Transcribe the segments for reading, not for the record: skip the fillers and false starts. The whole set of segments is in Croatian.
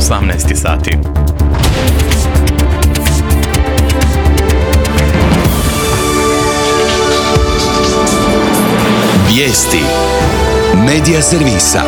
18 sati. Vijesti Medija servisa.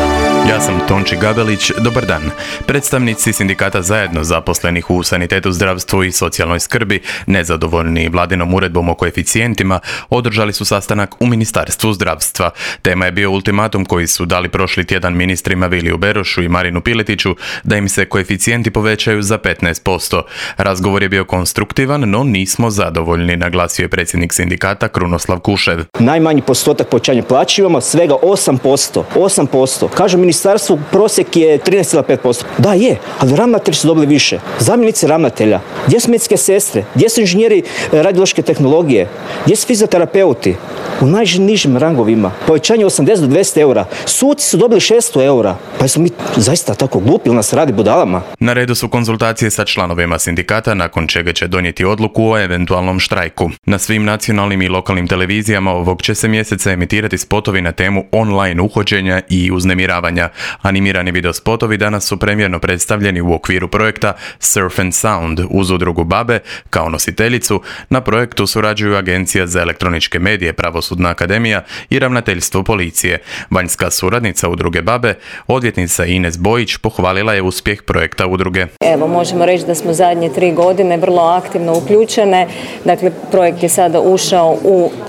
Ja sam Tonči Gabelić, dobar dan. Predstavnici sindikata Zajedno zaposlenih u sanitetu, zdravstvu i socijalnoj skrbi, nezadovoljni vladinom uredbom o koeficijentima, održali su sastanak u Ministarstvu zdravstva. Tema je bio ultimatum koji su dali prošli tjedan ministrima Viliju Berošu i Marinu Piletiću da im se koeficijenti povećaju za 15%. Razgovor je bio konstruktivan, no nismo zadovoljni, naglasio je predsjednik sindikata Krunoslav Kušev. Najmanji postotak povećanja plaće imamo svega 8%. 8%. Kažu ministarstvu prosjek je 13,5%. Da, je, ali ravnatelji su dobili više. Zamjenici ravnatelja. Gdje su medicinske sestre? Gdje su inženjeri radiološke tehnologije? Gdje su fizioterapeuti? U najnižim rangovima. Povećanje 80 do 200 eura. Suci su dobili 600 eura. Pa smo mi zaista tako glupi, ili nas radi budalama? Na redu su konzultacije sa članovima sindikata, nakon čega će donijeti odluku o eventualnom štrajku. Na svim nacionalnim i lokalnim televizijama ovog će se mjeseca emitirati spotovi na temu online uhođenja i uznemiravanja. Animirani video spotovi danas su premjerno predstavljeni u okviru projekta Surf and Sound uz udrugu BaBe kao nositeljicu. Na projektu surađuju Agencija za elektroničke medije, Pravosudna akademija i Ravnateljstvo policije. Vanjska suradnica udruge BaBe, odvjetnica Ines Bojić, pohvalila je uspjeh projekta udruge. Evo, možemo reći da smo zadnje 3 godine vrlo aktivno uključene. Dakle, projekt je sada ušao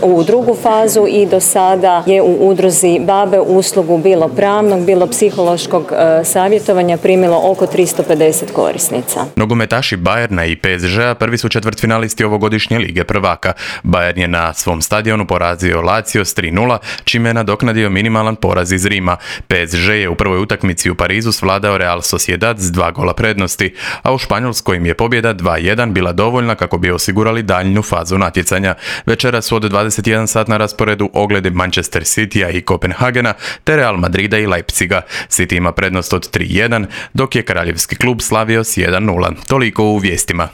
u drugu fazu i do sada je u udruzi BaBe uslugu bilo pravnog, bilo psihološkog savjetovanja primilo oko 350 korisnica. Nogometaši Bayerna i PSG-a prvi su četvrtfinalisti ovogodišnje Lige prvaka. Bayern je na svom stadionu porazio Lazio s 3:0, čime je nadoknadio minimalan poraz iz Rima. PSG je u prvoj utakmici u Parizu svladao Real Sociedad s 2 gola prednosti, a u Španjolskoj im je pobjeda 2:1 bila dovoljna kako bi osigurali daljnju fazu natjecanja. Večera su od 21 sat na rasporedu ogledi Manchester Citya i Kopenhagena te Real Madrida i Leipziga. City ima prednost od 3:1, dok je kraljevski klub slavio s 1:0. Toliko u vijestima.